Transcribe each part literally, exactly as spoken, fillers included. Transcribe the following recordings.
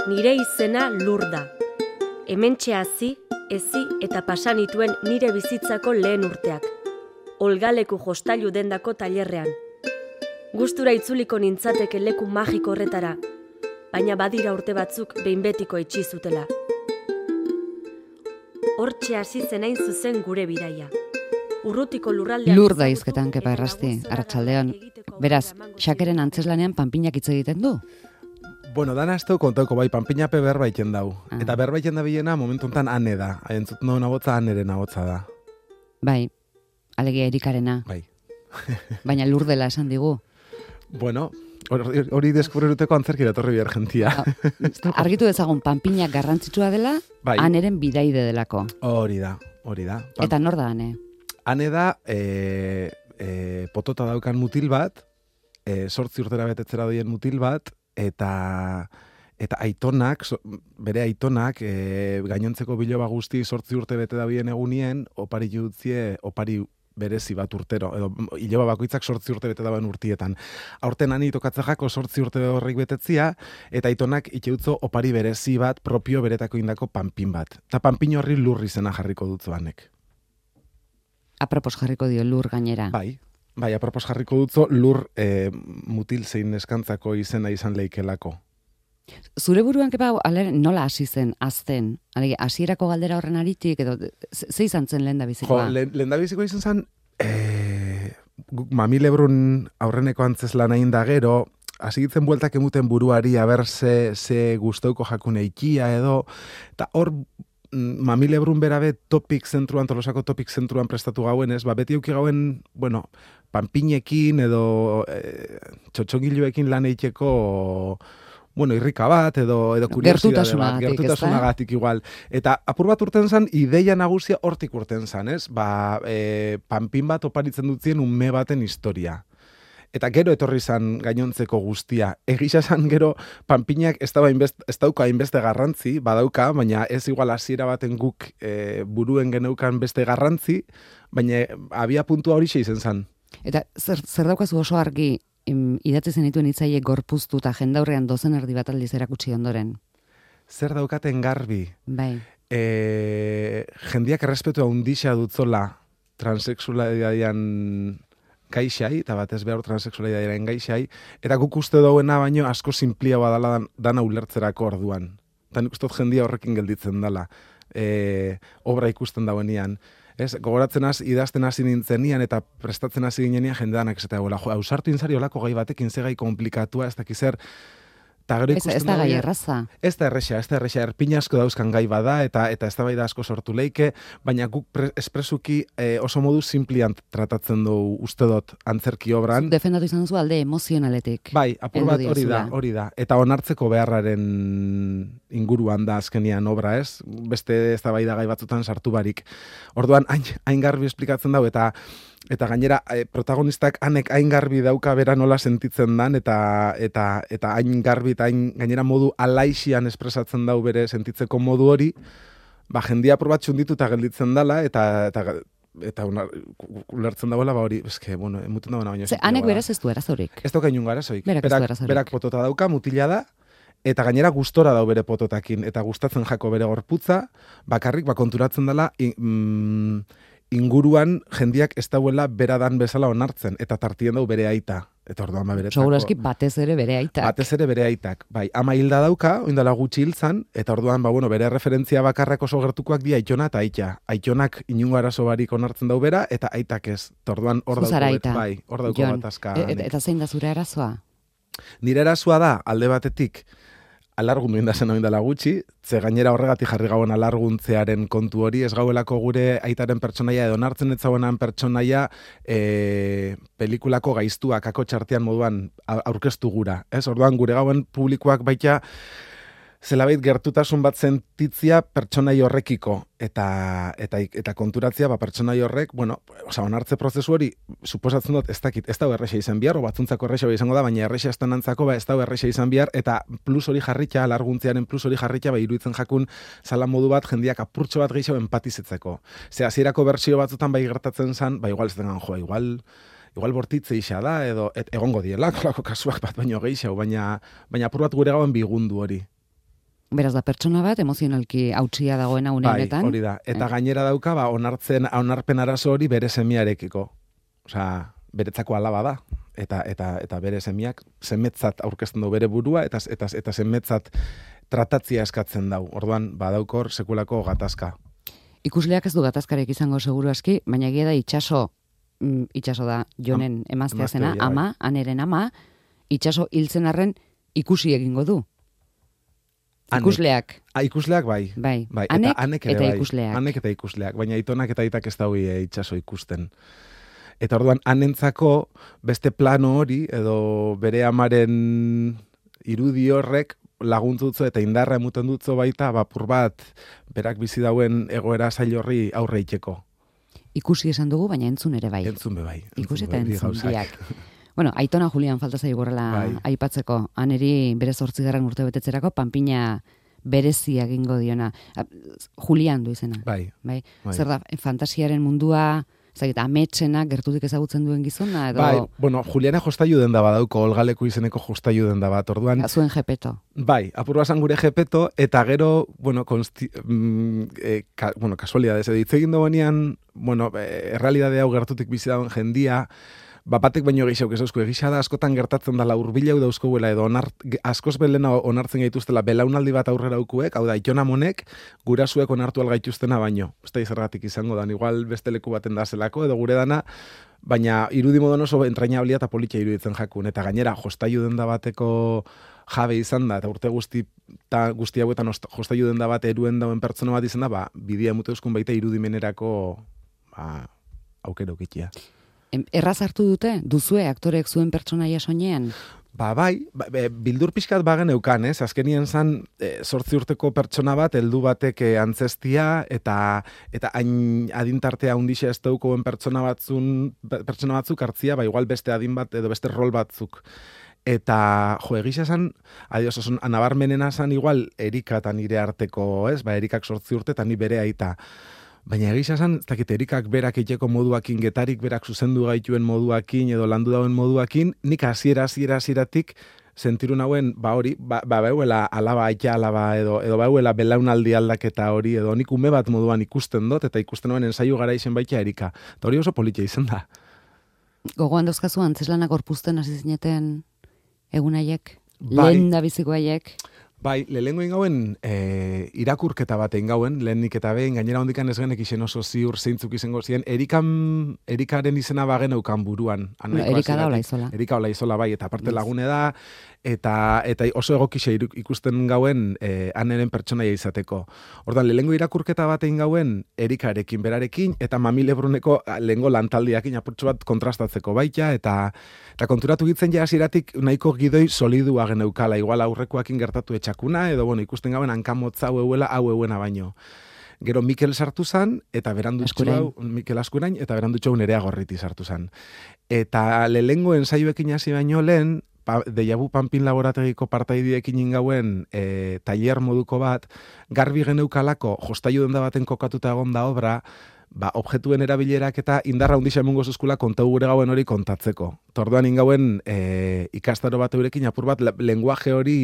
Nire izena Lur da. Hementxe hazi, ezi eta pasan nituen nire bizitzako lehen urteak. Olgaleku jostailu dendako tailerrean. Gustura itzuliko nintzateke leku magiko horretara, baina badira urte batzuk behin betiko itxi zutela. Hortxe hasi zen hain zuzen gure bidaia. Urrutiko lurraldean... Lur da izketan, kepa errasti, arratsaldean. Beraz, Xakeren antzeslanean panpinak hitz egiten du? Bueno, dana ez du kontauko, bai, panpinape berbaiten dau. Ah. Eta berbaiten da bilena, momentu honetan ane da. Entzut nagoen abotza, aneren abotza da. Bai, alegia Erikarena. Bai. Baina Lur dela esan digu. Bueno, hori, hori deskubreruteko antzerkira etorri bihar jentia. Argitu dezagun, panpinak garrantzitsua dela, Bai. aneren bidaide delako. Hori da, hori da. Pan- Eta nor da ane? Ane da, e, e, potota daukan mutil bat, e, sortzi urtera betetzera doien mutil bat, eta eta aitonak, so, bere aitonak, e, gainontzeko biloba guzti sortzi urte bete da bien egunien, opari jutzie, opari berezi bat urtero, edo iloba bakoitzak sortzi urte bete dauen urtietan. Aurten ani tokatzajako sortzi urte horrek betetzia, eta aitonak iteutzo opari berezi bat, propio beretako indako panpin bat. Eta panpin horri Lur izena jarriko dutzu anek. Apropos jarriko dio Lur gainera. Bai, bai, apropos jarriko dutzo Lur e, mutil zein eskantzako izena izan leikelako. Zure buruan kepa, alere, nola hasi zen, azten? Alege, hasierako galdera horren aritik, edo ze ze izan zen lehen da Jo, bizikoa? lehen lehen da bizikoa izan zen, e, guk Mami Lebrun aurreneko antzeslan egin da gero, hasi gitzen bueltak emuten buruari, aber ze, ze gustauko jakune ikia edo, eta hor Mami Lebrun berabe topik zentruan, Tolosako topik zentruan prestatu gauen, ez? Ba, beti auki gauen, bueno, panpinekin edo e, txotxongiluekin lan eiteko, bueno, irrika bat, edo, edo kuriosidade bat, Gertutasunagatik, gertutasunagatik igual. Eta apur bat urten zan, ideia nagusia hortik urten zan, ez? Ba, e, panpin bat oparitzen dutzien ume baten historia. Eta gero etorri zan gainontzeko guztia. Egisa zan gero panpinak ez, da hainbest, ez dauka hainbeste garrantzi, badauka, baina ez igual hasiera baten guk e, buruen geneukan beste garrantzi, baina abia puntua hori izen zan. Eta zer, zer daukazu oso argi em, idatzi zenituen hitzaile gorpuztu eta jendaurrean dozen erdi bat aldiz erakutsi ondoren? Zer daukaten garbi? Bai. E, jendiak errespetua handixa dutzola transexualidadian gaixai, eta batez behar transexualidadiaren gaixai, eta guk uste dauena baino asko simplia badala dan, dana ulertzerako orduan. Eta nik uste dut jendia horrekin gelditzen dela, e, obra ikusten dauenian. Ez, gogoratzen az, idazten hasi nintzenian eta prestatzen hasi ginenian jendeanak esatea, jo, ausartu inzari olako gai batekin ze gai komplikatua, ez dakizer, eta gero Ez, ikusten ez da gai dagoen- erraza. Ez da erresa, ez da erresa, erpin asko dauzkan gai bada, eta eta eztabaida asko sortu leike, baina guk pre, espresuki e, oso modu simplian tratatzen du uste dut antzerki obran. Defendatu izan duzu alde emozionaletik. Bai, apur heldu bat hori da, diozula. hori da. Eta onartzeko beharraren inguruan da azkenian obra, ez? Beste eztabaida gai batzutan sartu barik. Orduan, hain, hain garbi esplikatzen dau, eta eta gainera e, protagonistak hanek hain garbi dauka bera nola sentitzen dan, eta eta eta hain garbi eta hain gainera modu alaixian espresatzen dau bere sentitzeko modu hori, ba jendia apur bat txunditu eta gelditzen dala, eta eta eta unar, ulertzen dagoela, ba hori, eske, bueno, emuten dagoena baino. Ze, hanek beraz ez du erazorik. Ez dauka inun garazoik. Berak ez du Berak, arazorik. berak potota dauka, mutila da, eta gainera gustora dau bere pototakin, eta gustatzen jako bere gorputza, bakarrik, ba, konturatzen dela, i, mm, inguruan jendiak ez dauela beradan bezala onartzen, eta tartien dau bere aita. Eta orduan ba beretzako. Segurazki batez ere bere aitak. Batez ere bere aitak. Bai, ama hilda dauka, oindala gutxi hiltzan, eta orduan, ba, bueno, bere referentzia bakarrak oso gertukoak di aitona eta aita. Aitonak inungo arazo barik onartzen dau bera, eta aitak ez. Eta orduan hor Zu zara dauko, aita, bai, hor dauko Jon. batazka. E- eta, eta zein da zure arazoa? Nire erasua da, alde batetik, alargundu indazen hau indala gutxi, ze gainera horregatik jarri gauen alarguntzearen kontu hori, ez gauelako gure aitaren pertsonaia edo nartzen etzauenan pertsonaia e, pelikulako gaiztuak ako txartean moduan aurkeztu gura. Ez, orduan gure gauen publikoak baita zelabait gertutasun bat sentitzia pertsonai horrekiko eta eta eta konturatzia ba pertsonai horrek, bueno, osea onartze prozesu hori suposatzen dut ez dakit, ez da erresa izan behar, o batzuntzako erresa izango da, baina erresa estanantzako ba ez da erresa izan behar, eta plus hori jarritza, alarguntzearen plus hori jarritza ba iruditzen jakun zala modu bat jendiak apurtxo bat gehiago empatizetzeko. Ze hasierako bertsio batzutan bai gertatzen zan, ba igual ez dengan joa, igual igual bortitze isa da, edo et, egongo diela, kolako kasuak bat baino gehiago, baina baina apur bat gure gauen bigundu hori. Beraz da pertsona bat emozionalki hautsia dagoena une bai, honetan. hori da. Eta gainera dauka, ba, onartzen, onarpen arazo hori bere semiarekiko. Osea, beretzako alaba da. Eta, eta, eta bere semiak semetzat aurkezten du bere burua, eta, eta, eta semetzat tratatzia eskatzen dau. Orduan, badaukor sekulako gatazka. Ikusleak ez du gatazkarek izango seguru aski, baina egia da itxaso, mm, itxaso da Jonen emaztea zena, emaztea, ama, aneren ama, itxaso hiltzen arren ikusi egingo du. Anek. Ikusleak. Ah, ikusleak bai. Bai, bai. anek eta, anek ere, eta bai. ikusleak. Anek eta ikusleak, baina aitonak eta aitak ez daui itxaso ikusten. Eta orduan, anentzako beste plano hori, edo bere amaren irudi horrek laguntzutzo eta indarra emuten dutzo baita, bapur bat, berak bizi dauen egoera zail horri aurre itxeko. Ikusi esan dugu, baina entzun ere bai. Entzun be bai. Ikusi eta be bai, bi entzun gauzak. biak. Bueno, Aitona Julian falta zaigu horrela Bai. aipatzeko. Aneri bere zortzigarren urte betetzerako panpina berezia egingo diona. A, Julian du izena. Bai. Bai. Bai. Zer da, fantasiaren mundua, zait, ametsena gertutik ezagutzen duen gizona, edo Bai, bueno, Juliana jostailu denda badauko, olgaleko izeneko jostailu denda bat, orduan, zuen jepeto. bai, apur basan gure jepeto, eta gero, bueno, konsti, mm, e, ka, bueno, kasualidades, edo hitz egin duenean, bueno, e, errealidade hau gertutik bizi dauen jendia, bapatek baino gehiago ezauzko, egisa da askotan gertatzen dela urbilau dauzkoguela, edo onart, askoz belena onartzen gaituztela belaunaldi bat aurrera ukuek, hau da, Itona monek, gurasuek onartu algaituztena baino. Ez da izergatik izango dan, igual beste leku baten da zelako, edo gure dana, baina irudi modon oso entrainablia eta politia iruditzen jakun, eta gainera, jostailu denda bateko jabe izan da, eta urte guzti, ta guzti hauetan jostailu denda bat eruen dauen pertsona bat izan da, ba, bidea mute euskun baita irudimenerako, ba, aukero kitia. Em, Erraz hartu dute, duzue aktorek zuen pertsonaia soinean? Ba, bai, ba, be, bildur pixkat bagen eukan, ez? Azkenien zan, e, sortzi urteko pertsona bat, heldu batek e, antzestia, eta eta hain adintartea hundixe ez daukoen pertsona batzun, pertsona batzuk hartzia, ba, igual beste adin bat, edo beste rol batzuk. Eta, jo, egisa zan, adios, oson, anabarmenena zan igual, Erika eta nire arteko, ez? Ba, Erikak sortzi urte, eta ni bere aita. Baina egisa zan, ez dakit, Erikak berak eiteko moduakin, Getarik berak zuzendu gaituen moduakin, edo landu dauen moduakin, nik hasiera hasiera hasieratik sentiru nauen, ba hori, ba, ba beuela alaba, aita alaba, edo, edo beuela belaunaldi aldaketa hori, edo nik ume bat moduan ikusten dut, eta ikusten nuen ensaiu gara izen baita Erika. Eta hori oso politia izan da. Gogoan dauzkazu antzeslanak gorpuzten hasi zineten egunaiek? Bai. Lehen da biziko haiek? Bai, lehengo ingauen e, irakurketa bat ingauen, lehenik eta behin, gainera hondikan ez genek izen oso ziur zeintzuk izango ziren, Erikan, Erikaren izena bagen eukan buruan. No, Erika da Olaizola. Erika Olaizola, bai, eta aparte Yes. lagune da, eta eta oso egokixe ikusten gauen e, aneren pertsonaia izateko. Ordan lehengo irakurketa bat egin gauen Erikarekin, berarekin, eta Mami Lebruneko lehengo lantaldiakin apurtxo bat kontrastatzeko baita, eta eta konturatu gitzen ja hasieratik nahiko gidoi solidua geneukala, igual aurrekoakin gertatu etxakuna, edo bueno, ikusten gauen hankamotza hau euela, hau euena baino. Gero Mikel sartu zan, eta berandutxo hau, Mikel Askurain, eta berandutxo hau Nerea Gorriti sartu zan. Eta lehengo ensaioekin hasi baino lehen, pa, Deiabu Panpin laborategiko partaidiekin ingauen e, tailer moduko bat, garbi geneukalako jostailu denda baten kokatuta egon da obra, ba, objektuen erabilerak eta indarra hundisa emungo zuzkula kontau gure gauen hori kontatzeko. Torduan ingauen e, ikastaro bat eurekin apur bat lenguaje hori,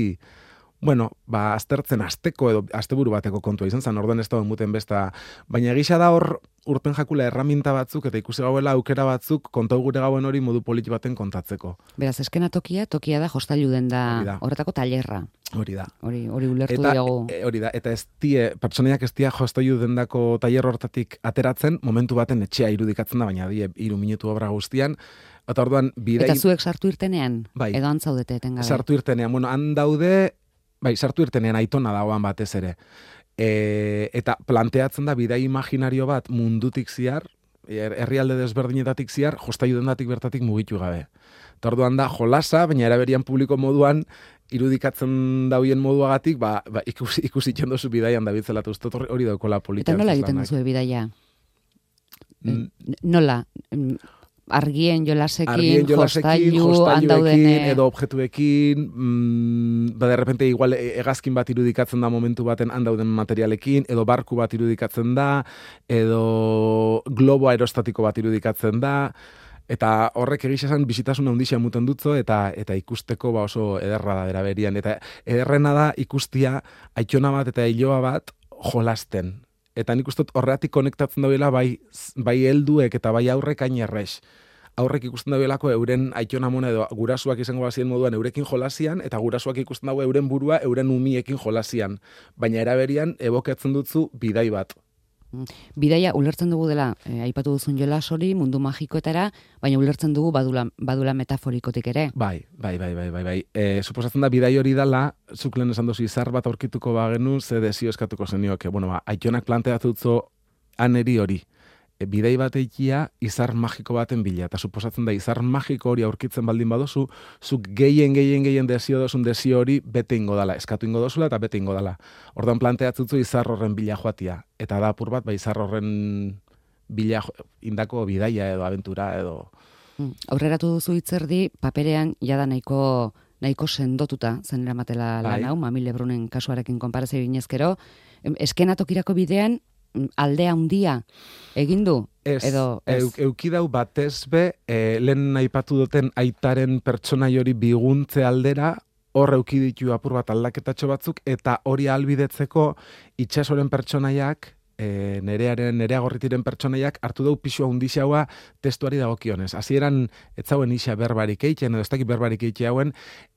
bueno, ba, aztertzen asteko edo asteburu bateko kontua izan zen, orduan ez da muten besta, baina egisa da hor urpen jakula erraminta batzuk eta ikusi gauela aukera batzuk kontau gure gauen hori modu politi baten kontatzeko. Beraz, eskena tokia, tokia da jostailu den Hori da da. horretako tailerra. Hori da. Hori, hori ulertu Eta, diogu. e, hori da, eta ez die, pertsonaiak ez dia jostailu dendako tailer hortatik ateratzen, momentu baten etxea irudikatzen da, baina die, hiru minutu obra guztian, eta orduan bidei... Eta zuek sartu irtenean? Bai. Edo antzaudete etengabe? Sartu irtenean, bueno, han daude, bai, sartu irtenean Aitona dagoan batez ere. E, eta planteatzen da bidai imaginario bat mundutik ziar, her- herrialde desberdinetatik ziar, jostailu dendatik bertatik mugitu gabe. Eta orduan da jolasa, baina eraberian publiko moduan, irudikatzen dauen moduagatik, ba, ba ikusi, ikusi txendozu bidaian da bitzela, eta uste dut hori daukola politia. Eta nola egiten arteslanak. duzu bidaia? Mm. N- Nola? Mm, Argien jolasekin, Argien jolasekin, jostailu, jostailuekin, handaudene... edo objektuekin, mm, ba, de repente igual e- hegazkin bat irudikatzen da momentu baten handauden materialekin, edo barku bat irudikatzen da, edo globo aerostatiko bat irudikatzen da, Eta horrek egisa esan bizitasuna handixea muten dutzo, eta eta ikusteko ba oso ederra da bera berian. Eta ederrena da ikustia aitona bat eta iloa bat jolasten. Eta nik uste horreatik konektatzen dagoela bai, bai helduek eta bai aurrek hain errex. Aurrek ikusten dagoelako euren aitona mona edo gurasuak izango bazien moduan eurekin jolasian, eta gurasuak ikusten dago euren burua euren umiekin jolasian. Baina eraberian ebokatzen dutzu bidai bat. Bidaia ulertzen dugu dela, eh, aipatu duzun jolas hori mundu magikoetara, baina ulertzen dugu badula, badula metaforikotik ere. Bai, bai, bai, bai, bai, bai. E, suposatzen da bidai hori dala, zuk lehen esan duzu izar bat aurkituko bagenu, ze desio eskatuko zenioke. Bueno, ba, aitonak planteatutzo aneri hori. E, bidai bat eikia izar magiko baten bila. Eta suposatzen da izar magiko hori aurkitzen baldin badozu, zuk gehien, gehien, gehien desio dozun desio hori bete ingo dala. Eskatu ingo dozula eta bete ingo dala. Orduan planteatzutzu izar horren bila joatia. Eta da apur bat, ba, izar horren bila indako bidaia edo abentura edo... Aurreratu duzu hitzerdi, paperean jada nahiko nahiko sendotuta zen eramatela lan hau, Mamile Brunen kasuarekin konparazio ginezkero. Eskenatokirako bidean aldea handia egin du? Ez, edo, ez. Euk, eukidau batez be, e, lehen aipatu duten aitaren pertsonai hori biguntze aldera, hor eukiditu apur bat aldaketatxo batzuk, eta hori albidetzeko itxasoren pertsonaiak, e, nerearen, nerea gorritiren pertsonaiak hartu dau pixua undixaua testuari dagokionez. Hasieran ez zauen isa berbarik eitzen, edo ez dakit berbarik eitzen hauen,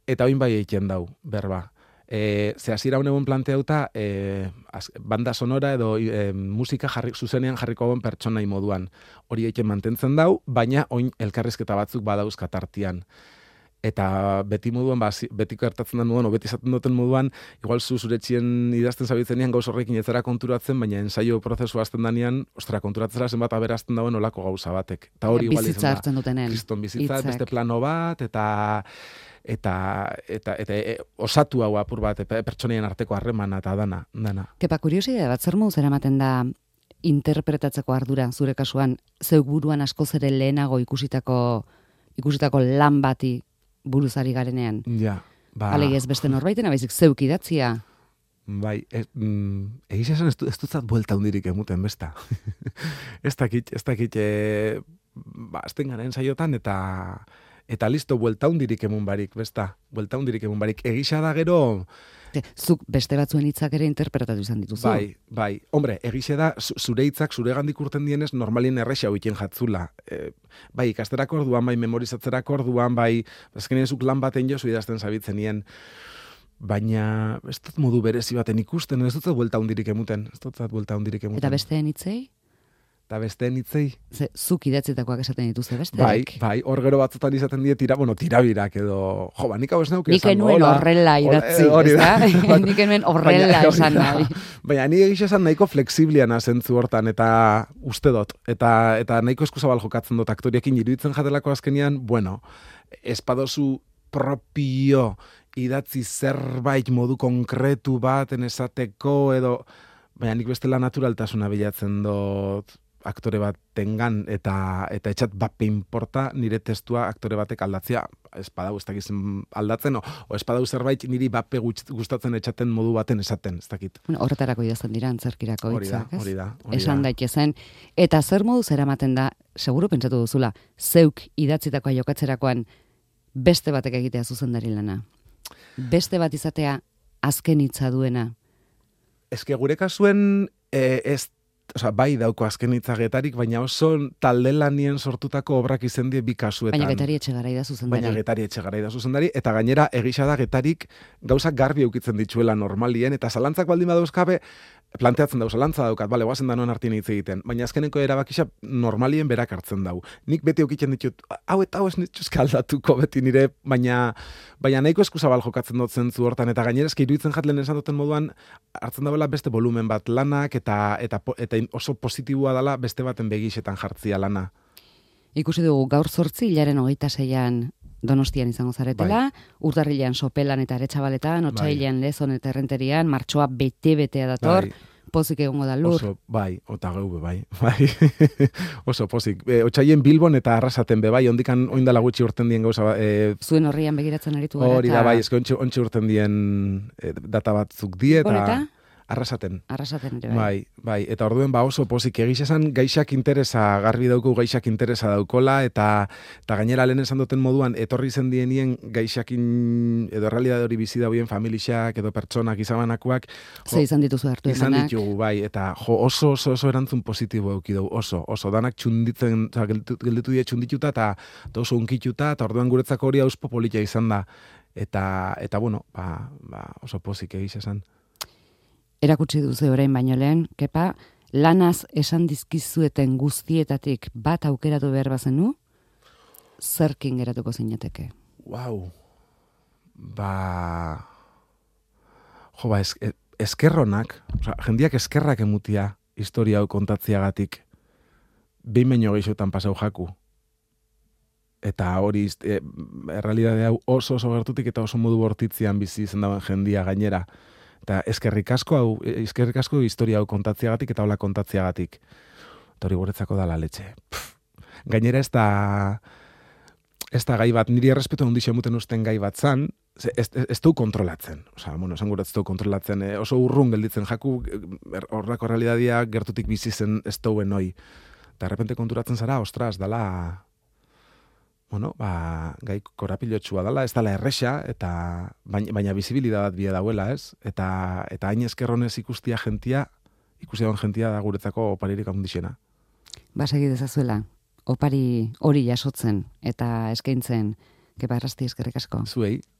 eta oin bai eitzen dau berba. E, ze hasiera honegun planteauta e, az, banda sonora edo e, musika jarri, zuzenean jarriko hauen pertsonai moduan. Hori eitzen mantentzen dau, baina oin elkarrizketa batzuk badauz katartian. Eta beti moduan, ba, beti gertatzen den moduan, o beti izaten duten moduan, igual zu zuretxien idazten zabitzenean gauz horrekin ez zera konturatzen, baina ensaio prozesu azten danean, ostera, konturatzera zenbat aberazten dauen olako gauza batek. Eta hori igual bizitza hartzen dutenen. Kriston bizitza, Itzak. beste plano bat, eta eta eta eta e, osatu hau apur bat, e, pertsoneien arteko harremana eta dana, dana. Kepa, kuriosidade bat, zer moduz eramaten da interpretatzeko ardura, zure kasuan, zeuk buruan askoz ere lehenago ikusitako ikusitako lan bati buruzari garenean. Ja, ba... Alegi ez beste norbaiten, abaizik zeuk idatzia. Bai, e, mm, egiz esan ez, du, ez dutzat buelta hundirik emuten, besta. ez dakit, ez dakit, e, ba, azten garen saiotan, eta eta listo, buelta hundirik emun barik, besta. Buelta hundirik emun barik. Egisa da gero... Zuk beste batzuen hitzak ere interpretatu izan dituzu. Bai, bai. Hombre, egixe da, zure hitzak, zure gandik urten dienez, normalien errexea hoiten jatzula. E, bai, ikasterako orduan, bai, memorizatzerako orduan, bai, azkenean zuk lan baten jozu idazten zabitzen nien. Baina, ez dut modu berezi baten ikusten, ez dut buelta hundirik emuten. Ez dut buelta hundirik emuten. Eta besteen hitzei? Eta besteen hitzei? Ze, zuk idatzitakoak esaten dituzte beste? Bai, bai, hor gero batzutan izaten die tira, bueno, tirabirak edo, jo, ba, nik hau ez neuke esan. Nik enuen horrela idatzi, ez da? Nik enuen horrela esan nahi. Baina, ni egiz esan nahiko flexibliana zentzu hortan, eta uste dut, eta, eta nahiko eskuzabal jokatzen dut aktoriekin iruditzen jatelako azkenian, bueno, espadozu propio idatzi zerbait modu konkretu baten esateko, edo, baina nik bestela naturaltasuna bilatzen dut, aktore bat tengan, eta eta etxat bape inporta nire testua aktore batek aldatzea, espadau ez dakizen aldatzen, o, o espadau zerbait niri bape gustatzen etxaten modu baten esaten, ez dakit. Bueno, horretarako idazten dira antzerkirako hitzak, ez? Hori da, hori da. Esan daitezen. Eta zer moduz eramaten da, seguru pentsatu duzula, zeuk idatzitakoa jokatzerakoan beste batek egitea zuzendari lana. Beste bat izatea azken hitza duena. Eske gure kasuen eh, ez Osa, bai dauko azken hitzagetarik, baina oso talde lanien sortutako obrak izen die bi kasuetan. Baina Getari Etxegarai da zuzendari. Baina Getari Etxegarai da zuzendari, eta gainera egisa da Getarik gauzak garbi eukitzen dituela normalien, eta zalantzak baldin badauzkabe, planteatzen dau, zalantza daukat, bale, guazen da non hartien hitz egiten, baina azkeneko erabakisa normalien berak hartzen dau. Nik beti eukitzen ditut, hau eta hau ez nituzke aldatuko beti nire, baina baina nahiko eskuzabal jokatzen dut zentzu hortan, eta gainera eski iruditzen jatlen esan duten moduan, hartzen dauela beste volumen bat lanak, eta, eta, eta oso positiboa dela beste baten begixetan jartzia lana. Ikusi dugu gaur zortzi, hilaren hogeita zeian Donostian izango zaretela, bai. Urtarrilean Sopelan eta Aretxabaletan, otsailean bai. Lezon eta Errenterian, martxoa bete-betea dator, bai. Pozik egongo da lur. Oso, bai, ota geube, bai, bai. Oso pozik. E, otsailen Bilbon eta Arrasaten be, bai, ondikan oindala gutxi urten dien gauza. E, Zuen horrian begiratzen aritu gara. Hori da, bai, eske ontsi, ontsi urten dien e, data batzuk die, eta... arrasaten. Arrasaten ere, bai. Bai, bai, eta orduen ba oso pozik egiz esan gaixak interesa, garbi dauku gaixak interesa daukola, eta eta gainera lehen esan duten moduan, etorri zen dienien gaixakin, edo realidade hori bizi dauen familixak, edo pertsonak izabanakoak. Ze izan dituzu hartu izan emanak. ditugu, bai, eta jo, oso, oso, oso erantzun positibo euki dugu, oso, oso, danak txunditzen, oza, gelditu, gelditu die txundituta, eta, eta oso unkituta, eta orduan guretzako hori auspo politia izan da. Eta, eta bueno, ba, ba, oso pozik egiz esan. Erakutsi duzu orain baino lehen, Kepa, lanaz esan dizkizueten guztietatik bat aukeratu behar bazenu, zerkin geratuko zinateke? Wow. Ba... Jo, ba, es, eskerronak, oza, jendiak eskerrak emutia historia hau kontatziagatik, behin baino gehixotan pasau jaku. Eta hori, e, errealidade hau oso oso gertutik eta oso modu bortitzean bizi izan dauen jendia gainera. Eta eskerrik asko hau, eskerrik asko historia hau kontatziagatik eta hola kontatziagatik. Eta hori guretzako dala letxe. Pff. Gainera ez da, ez da gai bat, niri errespetu handixo muten usten gai bat zan, ez, ez, ez du kontrolatzen. Osa, bueno, esan gure ez du kontrolatzen, eh, oso urrun gelditzen jaku, horrako realidadia gertutik bizi zen ez duen hoi. Eta errepente konturatzen zara, ostras, dala... Bueno, ba, gai korapilotxua dala, ez dala erresa, eta baina, baina bizibilidadat bia dauela, ez? Eta, eta hain eskerronez ikustia jentia, ikusia don jentia da guretzako oparirik handixena. Ba, segi dezazuela, opari hori jasotzen eta eskaintzen, Kepa Errasti eskerrik asko. Zuei.